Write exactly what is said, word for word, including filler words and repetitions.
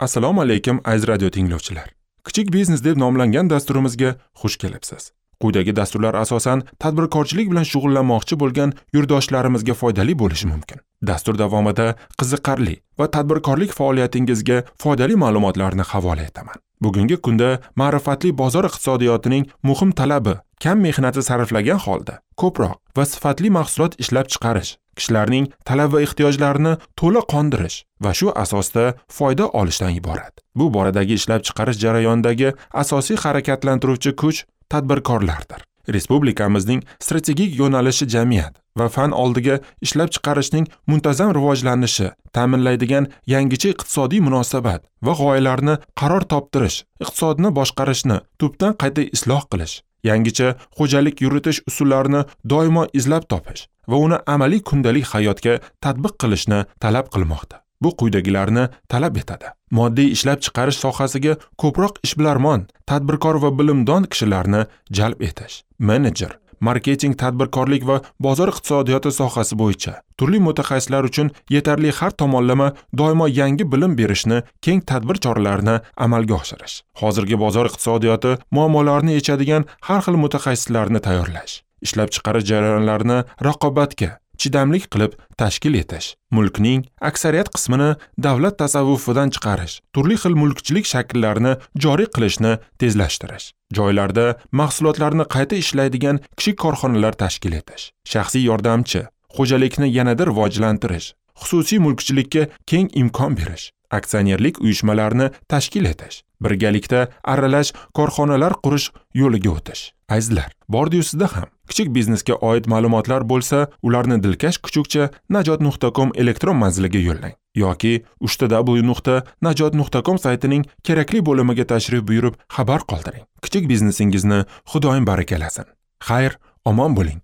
Assalomu alaykum aziz radio tinglovchilar. Kichik biznes deb nomlangan dasturimizga xush kelibsiz. Quyidagi dasturlar asosan tadbirkorchilik bilan shug'ullanmoqchi bo'lgan yurtdoshlarimizga foydali bo'lishi mumkin. Dastur davomida qiziqarli va tadbirkorlik faoliyatingizga foydali ma'lumotlarni havola etaman. Bugungi kunda ma'rifatli bozor iqtisodiyotining muhim talabi kam mehnatni sarflagan holda ko'proq va sifatli mahsulot ishlab chiqarish, kishilarning talab va ehtiyojlarini to'la qondirish va shu asosda foyda olishdan iborat. Bu boradagi ishlab chiqarish jarayonidagi asosiy harakatlantiruvchi kuch tadbirkorlardir. Respublikamizning strategik yo'nalishi jamiyat va fan oldiga ishlab chiqarishning muntazam rivojlanishi ta'minlaydigan yangicha iqtisodiy munosabat va g'oyalarni qaror toptirish, iqtisodni boshqarishni tubdan qayta isloh qilish, yangicha xo'jalik yuritish usullarini doimo izlab topish va uni amaliy kundalik hayotga tatbiq qilishni talab qilmoqda. Bu quyidagilarni talab etadi. Moddiy ishlab chiqarish sohasiga ko'proq ishbilarmon, tadbirkor va bilimdon kishilarni jalb etish, menejer, marketing, tadbirkorlik va bozor iqtisodiyoti sohasi bo'yicha turli mutaxassislar uchun yetarli har tomonlama doimo yangi bilim berishni keng tadbir choralarini amalga oshirish, hozirgi bozor iqtisodiyoti muammolarini yechadigan har xil mutaxassislarni tayyorlash, ishlab chiqarish jarayonlarini raqobatga chidamlik qilib tashkil etish, mulkning aksariyat qismini davlat tasavvufidan chiqarish, turli xil mulkchilik shakllarini joriy qilishni tezlashtirish, joylarda mahsulotlarni qayta ishlaydigan kichik korxonalar tashkil etish, shaxsiy yordamchi xo'jalikni yanada rivojlantirish, xususiy mulkchilikka keng imkon berish, aksionerlik uyushmalarini tashkil etish, birgalikda aralash korxonalar qurish yo'liga o'tish. Azizlar, bordi-yu sizda ham kichik biznesga oid ma'lumotlar bo'lsa, ularni dilkash kuchukcha najot nuqta com elektron manziliga yo'llang yoki uchta w nuqta najot nuqta com saytining kerakli bo'limiga tashrif buyurib xabar qoldiring. Kichik biznesingizni Xudoyim barakalasin. Xayr, omon bo'ling.